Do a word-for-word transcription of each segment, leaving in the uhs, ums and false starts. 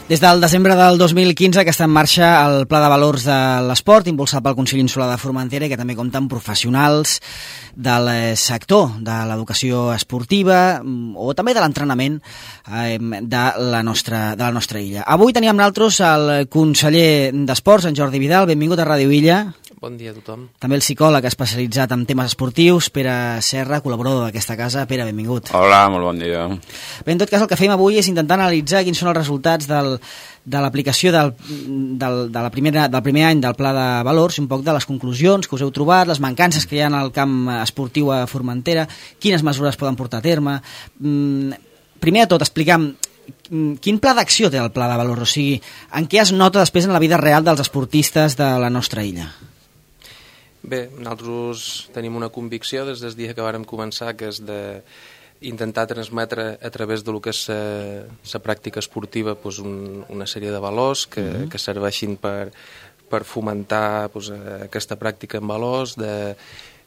Des del desembre del dos mil quinze que està en marxa el Pla de Valors de l'Esport, impulsat pel Consell Insular de Formentera, i que també compta amb professionals del sector de l'educació esportiva o també de l'entrenament eh, de, la nostra, de la nostra illa. Avui teníem nosaltres el conseller d'Esports, en Jordi Vidal. Benvingut a Ràdio Illa. Bon dia a tothom. També el psicòleg especialitzat en temes esportius, Pere Serra, col·laborador d'aquesta casa. Pere, benvingut. Hola, molt bon dia. Bé, en tot cas, el que fem avui és intentar analitzar quins són els resultats del, de l'aplicació del, del, de la primera, del primer any del Pla de Valors, i un poc de les conclusions que us heu trobat, les mancances que hi ha al camp esportiu a Formentera, quines mesures poden portar a terme. Primer de tot, explicam quin pla d'acció té el Pla de Valors, o sigui, en què es nota després en la vida real dels esportistes de la nostra illa? Bé, nosaltres tenim una convicció des del dia que vàrem començar, que és d'intentar transmetre a través de lo que és la pràctica esportiva pues, un, una sèrie de valors que, mm-hmm. que serveixin per, per fomentar pues, aquesta pràctica en valors, de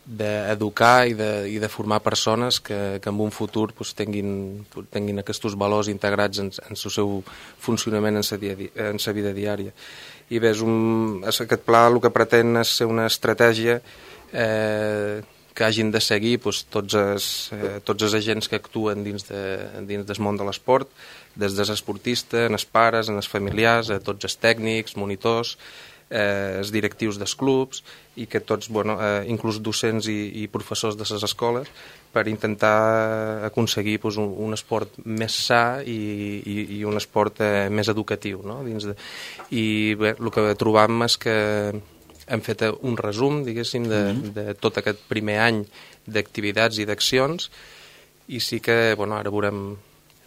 d'educar i, de, i de formar persones que, que en un futur pues, tinguin, tinguin aquests valors integrats en, en el seu funcionament en la vida diària. I bé, és un, aquest pla el que pretén és ser una estratègia eh, que hagin de seguir pues, tots, els, eh, tots els agents que actuen dins, de, dins del món de l'esport, des dels esportistes, en els pares, en els familiars, a tots els tècnics, monitors, eh, els directius dels clubs, i que tots, bueno, eh, inclús docents i, i professors de les escoles, per intentar aconseguir pues, un, un esport més sa i, i, i un esport eh, més educatiu. No? Dins de... I bé, el que trobam és que hem fet un resum, diguéssim, de, de tot aquest primer any d'activitats i d'accions, i sí que, bueno, ara veurem,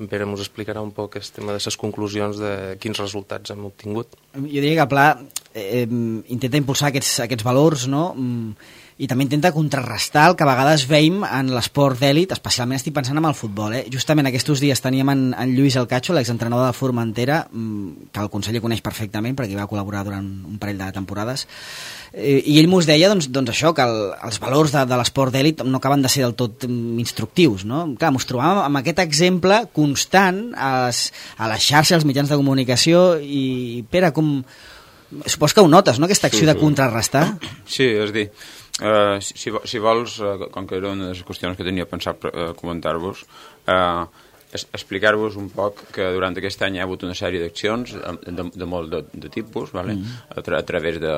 en Pere ens explicarà un poc el tema de les conclusions de quins resultats hem obtingut. Jo diria que el pla eh, intenta impulsar aquests, aquests valors, no?, i també intenta contrarrestar el que a vegades veiem en l'esport d'èlit, especialment estic pensant en el futbol. Eh? Justament aquests dies teníem en, en Lluís El Cacho, l'exentrenador de Formentera, que el conseller coneix perfectament perquè va col·laborar durant un parell de temporades, eh, i ell mos deia doncs, doncs això, que el, els valors de, de l'esport d'èlit no acaben de ser del tot instructius. No? Clar, mos trobàvem amb aquest exemple constant a les, a les xarxes, als mitjans de comunicació, i Pere, com... supos que ho notes, no?, aquesta acció sí, sí. de contrarrestar. Sí, és dir, uh, si, si vols, uh, com que era una de les qüestions que tenia pensat uh, comentar-vos, uh, es, explicar-vos un poc que durant aquest any hi ha hagut una sèrie d'accions de, de, de molt de, de tipus, vale? mm. a, tra a través de,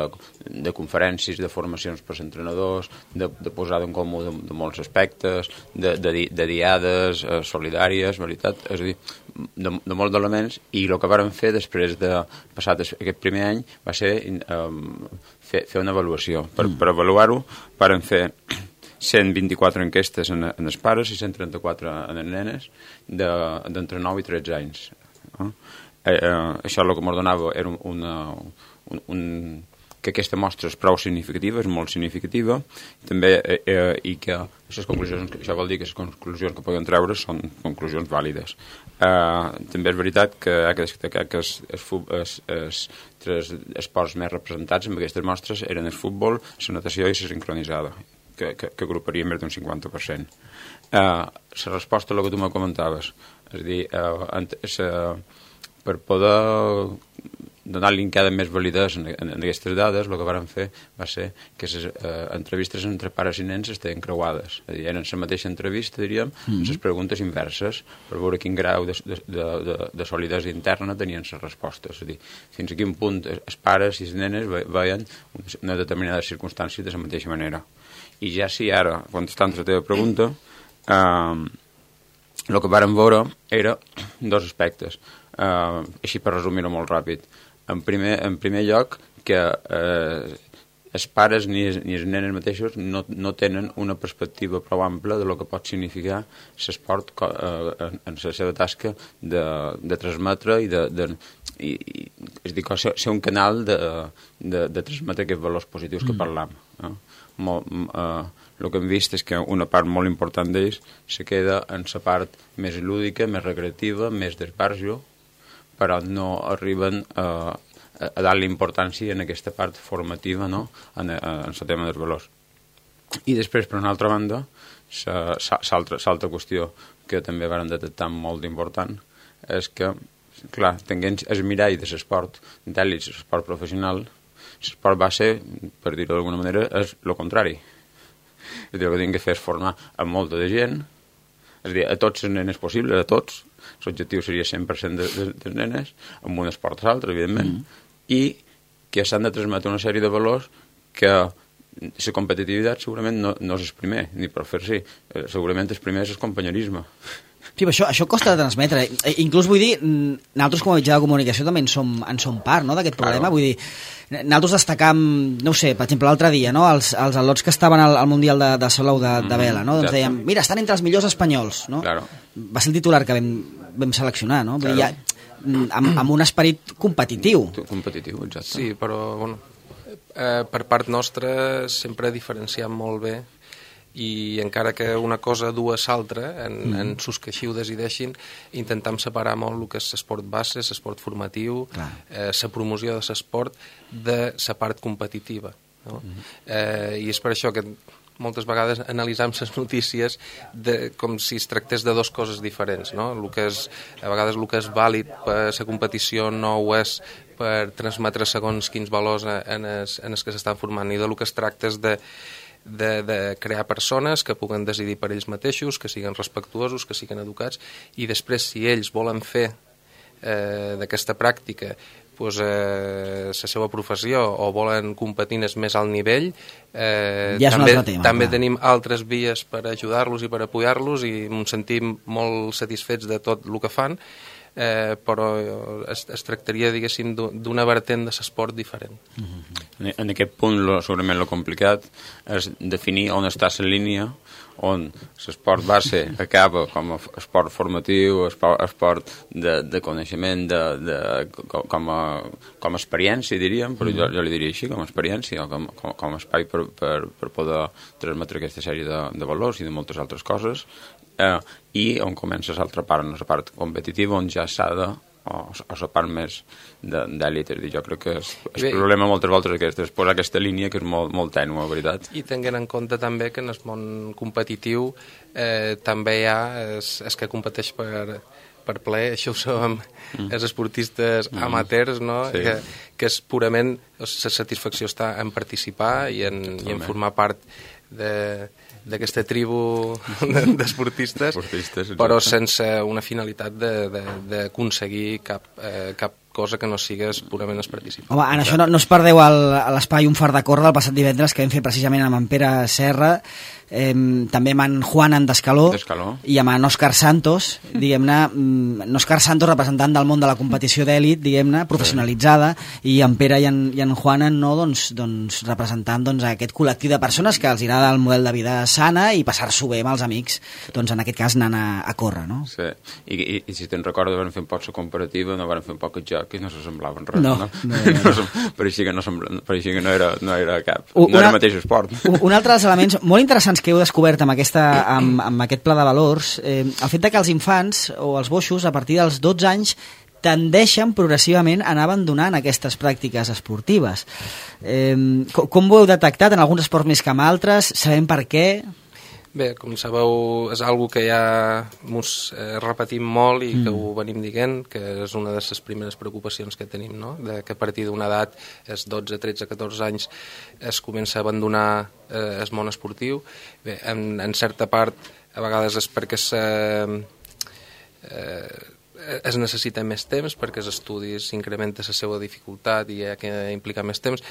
de conferències, de formacions per entrenadors, de, de posar en comú de, de molts aspectes, de, de, de diades uh, solidàries, veritat? És a dir, de, de molts elements, i el que vàrem fer després de passat aquest primer any va ser um, fer, fer una avaluació. Per, mm. per avaluar-ho vàrem fer cent vint-i-quatre enquestes en, en els pares i cent trenta-quatre en les nenes d'entre nou i tretze anys. Eh? Eh, eh, això el que ens donava era una, un, un, que aquesta mostra és prou significativa, és molt significativa, també, eh, eh, i que les conclusions, això vol dir que les conclusions que podem treure són conclusions vàlides. Eh, també és veritat que ha de destacar que els, els, els, els tres esports més representats en aquestes mostres eren el futbol, la natació i la sincronitzada, que, que, que agruparia més d'un cinquanta per cent. Eh, la resposta a el que tu me comentaves, és a dir, eh, eh, per poder donar-li encara més validesa en, en, en aquestes dades, el que vàrem fer va ser que les eh, entrevistes entre pares i nens estaven creuades. És a dir, eren la mateixa entrevista, diríem, mm -hmm. les preguntes inverses, per veure quin grau de, de, de, de, de solidesa interna tenien les respostes. És a dir, fins a quin punt els pares i les nenes veien una determinada circumstància de la mateixa manera. I ja si ara, contestant la teva pregunta, eh, el que vàrem veure era dos aspectes. Eh, així per resumir-ho molt ràpid. En primer, en primer lloc, que eh, els pares ni, ni els nenes mateixos no, no tenen una perspectiva prou ampla de lo que pot significar l'esport eh, en, en la seva tasca de, de transmetre i de... de i, i, és dir, ser, ser un canal de, de, de transmetre aquests valors positius que parlam. Eh? Molt, eh, el que hem vist és que una part molt important d'ells se queda en la part més lúdica, més recreativa, més d'esbarjo, però no arriben a, a dar-li importància en aquesta part formativa, no?, en el tema dels valors. I després, per una altra banda, l'altra qüestió que també vàrem detectar molt important és que clar, tinguent el mirall de l'esport d'èlit, l'esport professional, l'esport base, per dir-ho d'alguna manera, és el contrari. És a dir, el que tinc que fer és formar a molta de gent, és a dir, a tots els nenes possibles, a tots. L'objectiu seria cent per cent de, de, de nenes, amb un esport o l'altre, evidentment, mm. i que s'han de transmetre una sèrie de valors que la competitivitat segurament no, no és el primer, ni per fer-s'hi. Segurament el primer és el companyerisme. Sí, però això, això costa de transmetre. Eh, inclús vull dir, nosaltres com a mitjà de comunicació també en som, en som part, no?, d'aquest problema. Claro. Vull dir, nosaltres destacam, no ho sé, per exemple, l'altre dia, no?, els, els al·lots que estaven al, al Mundial de, de Salou de, de vela, no?, doncs dèiem, mira, estan entre els millors espanyols, no? Claro. Va ser el titular que vam, vam seleccionar, no? Vull dir, ja, amb, amb un esperit competitiu. Competitiu, exacte. Sí, però, bueno, eh, per part nostra sempre diferenciem molt bé, i encara que una cosa dues l'altra, en, mm. en sus que així ho decideixin, intentam separar molt el que és l'esport base, l'esport formatiu, la eh, promoció de l'esport de la part competitiva. No? Mm. Eh, I és per això que moltes vegades analitzam les notícies de, com si es tractés de dues coses diferents. No? El que és, a vegades el que és vàlid per la competició no ho és per transmetre segons quins valors en els, en els que s'estan formant, i del que es tracta és de De, de crear persones que puguen decidir per ells mateixos, que siguin respectuosos, que siguin educats, i després si ells volen fer eh, d'aquesta pràctica pues, eh, la seva professió o volen competir en el més alt nivell, eh, ja també, tema, també clar. tenim altres vies per ajudar-los i per apoyar-los, i ens sentim molt satisfets de tot el que fan, eh, però es, es tractaria, diguéssim, d'una vertent de l'esport diferent. Mm-hmm. En aquest punt, lo, segurament el complicat és definir on està la línia on l'esport base acaba com a esport formatiu, esport, esport de, de coneixement, de, de, com, a, com a experiència, diríem, però jo, jo li diria així, com a experiència, o com, com, com a espai per, per, per poder transmetre aquesta sèrie de, de valors i de moltes altres coses, eh, i on comença l'altra part, la part competitiva, on ja s'ha de, o, o la part més d'èlit. Jo crec que és, el Bé, problema moltes voltes aquest, és posar aquesta línia que és molt, molt tènua, la veritat. I tenint en compte també que en el món competitiu eh, també hi ha es, es que competeix per, per plaer, això ho sabem, mm. els esportistes mm. amateurs, no? Sí. que, que és purament, la satisfacció està en participar i en, i en formar part de d'aquesta tribu d'esportistes, però sense una finalitat d'aconseguir cap, eh, cap cosa que no sigués purament es participar. Home, en això no, no es perdeu l'espai Un far de córrer del passat divendres que vam fer precisament amb en Pere Serra, eh, també amb en Juan Andescaló i amb en Òscar Santos, diguem-ne, en Òscar Santos representant del món de la competició d'èlit, diguem-ne, professionalitzada, i en Pere i en, i en Juan no, doncs, doncs, representant doncs, aquest col·lectiu de persones que els agrada el model de vida sana i passar-s'ho bé amb els amics, doncs en aquest cas anant a, a córrer, no? Sí, I, i, i si te'n recordes vam fer un poc la comparativa, no vam fer un poc el joc i no s'assemblaven res, no? no? no, no, no. no pareixia que no, pareixia que no era, no era cap, una, no era el mateix esport. Un altre dels elements molt interessants que heu descobert amb, aquesta, amb, amb aquest pla de valors, eh, el fet de que els infants o els boixos a partir dels dotze anys tendeixen progressivament a anar abandonant aquestes pràctiques esportives. Eh, com, com ho heu detectat en alguns esports més que en altres? Sabem per què? Bé, com sabeu, és algo que ja ens eh, repetim molt i que mm. ho venim dient, que és una de les primeres preocupacions que tenim, no? De que a partir d'una edat, és dotze, tretze, catorze anys, es comença a abandonar eh, el món esportiu. Bé, en, en certa part, a vegades és perquè se, eh, es necessita més temps, perquè els estudis s'incrementa la seva dificultat i hi ha que implicar més temps.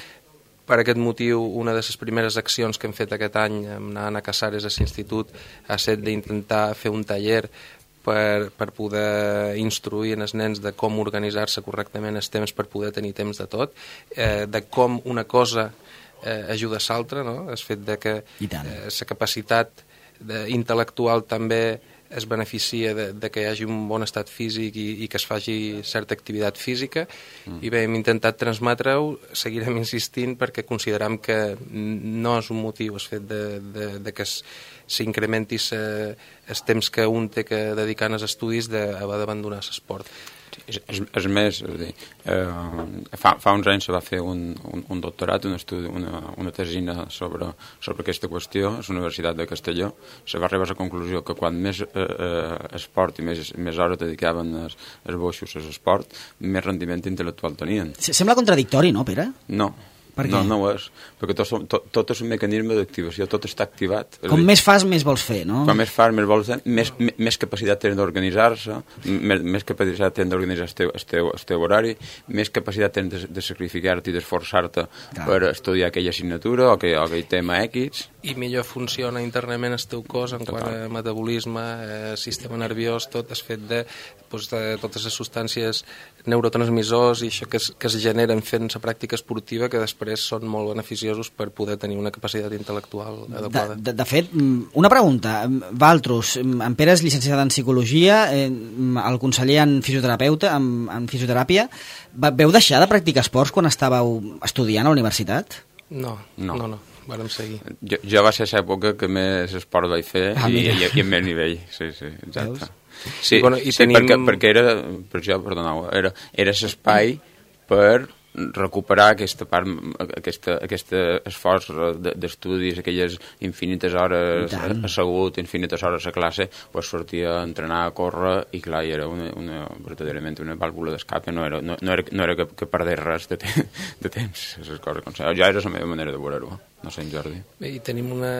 Per aquest motiu, una de les primeres accions que hem fet aquest any, anant a Casares a l'institut, ha estat d'intentar fer un taller per, per poder instruir els nens de com organitzar-se correctament els temps per poder tenir temps de tot, eh, de com una cosa eh, ajuda a l'altra, no? El fet de que eh, la capacitat de, intel·lectual també es beneficia de, de que hi hagi un bon estat físic i, i que es faci certa activitat física, mm. i bé, hem intentat transmetre-ho, seguirem insistint perquè consideram que no és un motiu el fet de, de, de que s'incrementi el temps que un té que dedicar als estudis d'haver d'abandonar l'esport. És, és, és més, és dir, eh, fa, fa uns anys se va fer un, un, un doctorat, un estudi, una, una tesina sobre, sobre aquesta qüestió a la Universitat de Castelló. Se va arribar a la conclusió que quan més eh, eh, esport i més, més hores dedicaven els, els boixos a l'esport, més rendiment intel·lectual tenien. Sembla contradictori, no, Pere? No. Per què? No, no ho és, perquè tot, tot, tot és un mecanisme d'activació, tot està activat. Com més fas, més vols fer, no? Com més fas, més vols fer, més, més capacitat tens d'organitzar-se, més, més capacitat tens d'organitzar el teu, el, teu, el teu horari, més capacitat tens de, de sacrificar-te i d'esforçar-te per estudiar aquella assignatura o aquell, o aquell tema X. I millor funciona internament el teu cos en quant a metabolisme, eh, sistema nerviós, tot és fet de, doncs, de totes les substàncies neurotransmissors i això que es, que es generen fent la pràctica esportiva que després són molt beneficiosos per poder tenir una capacitat intel·lectual adequada. De, de, de fet, una pregunta. Valtros, en Pere és llicenciat en Psicologia, eh, el conseller en fisioterapeuta, en, en fisioteràpia. Veu deixar de practicar esports quan estàveu estudiant a la universitat? No, no, no. no. Vàrem seguir. Jo, jo va ser l'època que més esport vaig fer ah, i, i, i en més nivell. Sí, sí, exacte. Sí, I, bueno, i sí tenim... perquè, perquè era, per això, perdoneu, era, era l'espai per recuperar aquesta part, aquesta, aquesta esforç d'estudis, aquelles infinites hores assegut, infinites hores a classe, pues sortia a entrenar, a córrer, i clar, i era una, una, verdaderament una vàlvula d'escape, no era, no, no era, no era que, que perdés res de, te, de temps, aquestes coses. Com ja era la meva manera de veure-ho, no sé, en Jordi. Bé, i tenim, una,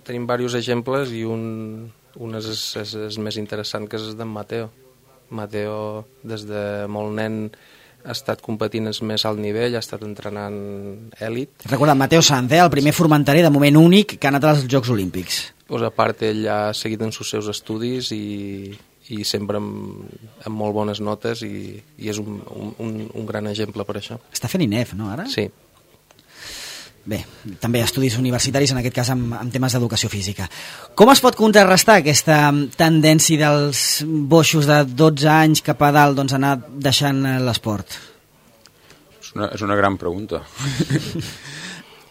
tenim diversos exemples i un, un és, és, és més interessant que és d'en Mateo. Mateo, des de molt nen, ha estat competint al més alt nivell, ha estat entrenant èlit. Recorda, Mateo Sanz, eh, el primer formenterer de moment únic que ha anat als Jocs Olímpics. Pues a part, ell ha seguit en els seus estudis i, i sempre amb, amb molt bones notes i, i és un, un, un gran exemple per això. Està fent I N E F, no, ara? Sí. Bé, també estudis universitaris, en aquest cas amb, amb temes d'educació física. Com es pot contrarrestar aquesta tendència dels boixos de dotze anys cap a dalt, doncs, anar deixant l'esport? És una, és una gran pregunta.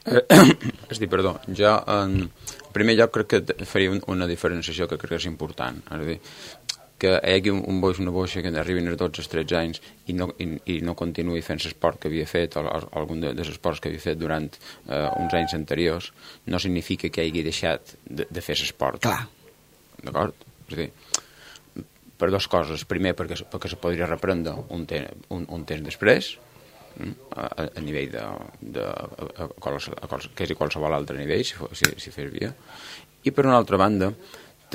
És dir, perdó, jo en primer lloc crec que faria una diferenciació que crec que és important. És a dir, que hi hagi un, un boix, una boixa que arribin als dotze o tretze anys i no, i, i no continuï fent l'esport que havia fet o, o algun de, dels esports que havia fet durant eh, uns anys anteriors, no significa que hagi deixat de, de fer l'esport. Clar. D'acord? És a dir, per dues coses. Primer, perquè, perquè se podria reprendre un, te, un, un temps després, a, a nivell de, de a, a, qualsevol, a quals, quasi qualsevol altre nivell, si, si, si fes via. I per una altra banda,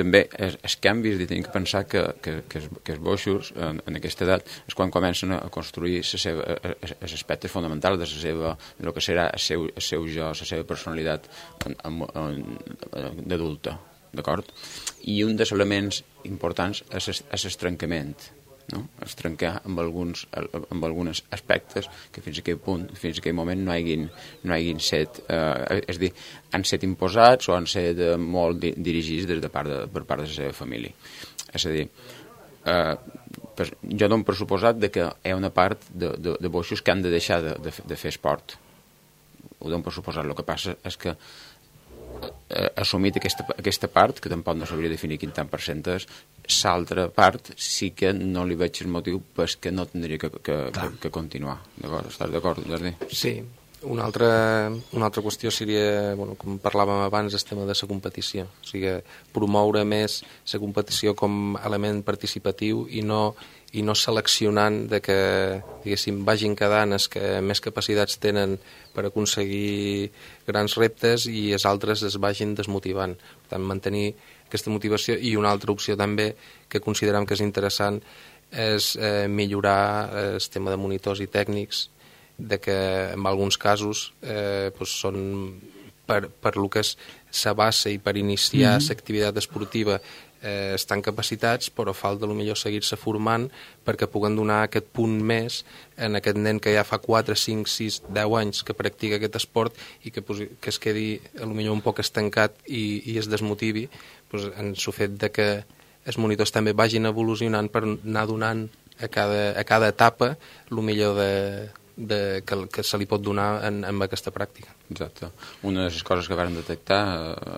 també els, els canvis, i tenim que pensar que, que, que, els, que els boixos en, en aquesta edat és quan comencen a construir els aspectes fonamentals de la seva, del que serà el seu, el seu jo, la seva personalitat d'adulta, d'acord? I un dels elements importants és l'estrancament, no? Es trencar amb alguns, amb alguns aspectes que fins a aquell punt, fins a aquell moment no hagin, no hagin set, eh, és a dir, han set imposats o han set eh, molt di dirigits des de part de, per part de la seva família. És a dir, eh, pues, jo dono per suposat de que hi ha una part de, de, de boixos que han de deixar de, de, de fer esport. Ho dono per suposat. El que passa és que eh, assumit aquesta, aquesta part, que tampoc no sabria definir quin tant per cent és, l'altra part sí que no li veig el motiu perquè no tindria que, que, que, que continuar. Estàs d'acord, Jordi? Sí. Una altra, una altra qüestió seria, bueno, com parlàvem abans, el tema de la competició. O sigui, promoure més la competició com a element participatiu i no, i no seleccionant de que, diguéssim, vagin quedant els que més capacitats tenen per aconseguir grans reptes i els altres es vagin desmotivant. Per tant, mantenir aquesta motivació. I una altra opció també que considerem que és interessant és eh, millorar el tema de monitors i tècnics, de que en alguns casos eh, doncs són per, per el que és la base i per iniciar mm-hmm. l'activitat esportiva eh, estan capacitats, però falta potser seguir-se formant perquè puguen donar aquest punt més en aquest nen que ja fa quatre, cinc, sis, deu anys que practica aquest esport i que, pues, que es quedi potser un poc estancat i, i es desmotivi, pues, en el fet de que els monitors també vagin evolucionant per anar donant a cada, a cada etapa el millor de De, que, que se li pot donar en, en aquesta pràctica. Exacte. Una de les coses que vam detectar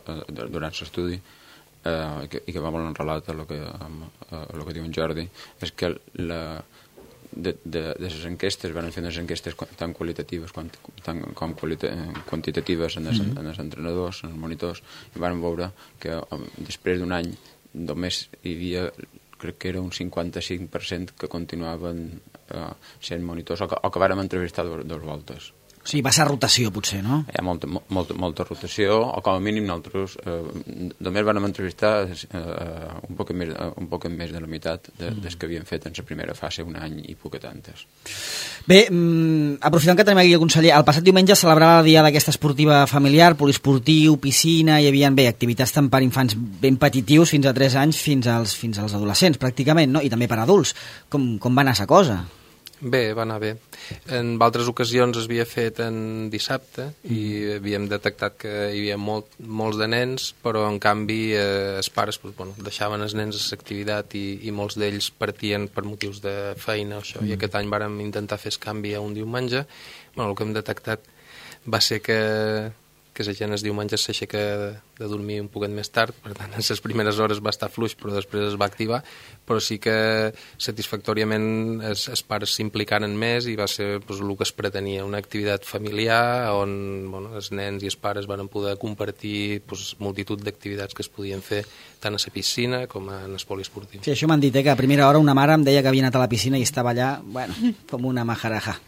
eh, durant l'estudi eh, i, que, i que va molt enrelat a lo que, a, a lo que diu en Jordi és que la, de, de, de les enquestes, van fer unes enquestes tan qualitatives com, tan, com qualita, quantitatives en els, mm -hmm. en els entrenadors, en els monitors, i van veure que després d'un any només hi havia, crec que era un cinquanta-cinc per cent que continuaven eh, sent monitors o que, o que vàrem entrevistar dos, dos voltes. O sigui, va ser rotació, potser, no? Hi ha molta, molta, molta rotació, o com a mínim nosaltres eh, només vam entrevistar eh, un, poc més, un poc més de la meitat de, mm. des que havíem fet en la primera fase, un any i poc tantes. Bé, mm, aprofitant que tenim aquí el conseller, el passat diumenge celebrava el dia d'aquesta esportiva familiar, poliesportiu, piscina, hi havia bé, activitats tant per infants ben petitius, fins a tres anys, fins als, fins als adolescents, pràcticament, no? I també per adults. Com, com va anar la cosa? Bé, va anar bé. En altres ocasions es havia fet en dissabte i havíem detectat que hi havia molt, molts de nens, però en canvi eh, els pares pues, bueno, deixaven els nens a l'activitat i, i molts d'ells partien per motius de feina o això, mm. i aquest any vàrem intentar fer el canvi a un diumenge. Bueno, el que hem detectat va ser que que la gent els diumenges s'aixeca de, de dormir un poquet més tard, per tant, en les primeres hores va estar fluix, però després es va activar, però sí que satisfactòriament els, els pares s'implicaven més i va ser pues, el que es pretenia, una activitat familiar on bueno, els nens i els pares van poder compartir pues, multitud d'activitats que es podien fer tant a la piscina com en el poliesportiu. Sí, això m'han dit, eh, que a primera hora una mare em deia que havia anat a la piscina i estava allà, bueno, com una majaraja.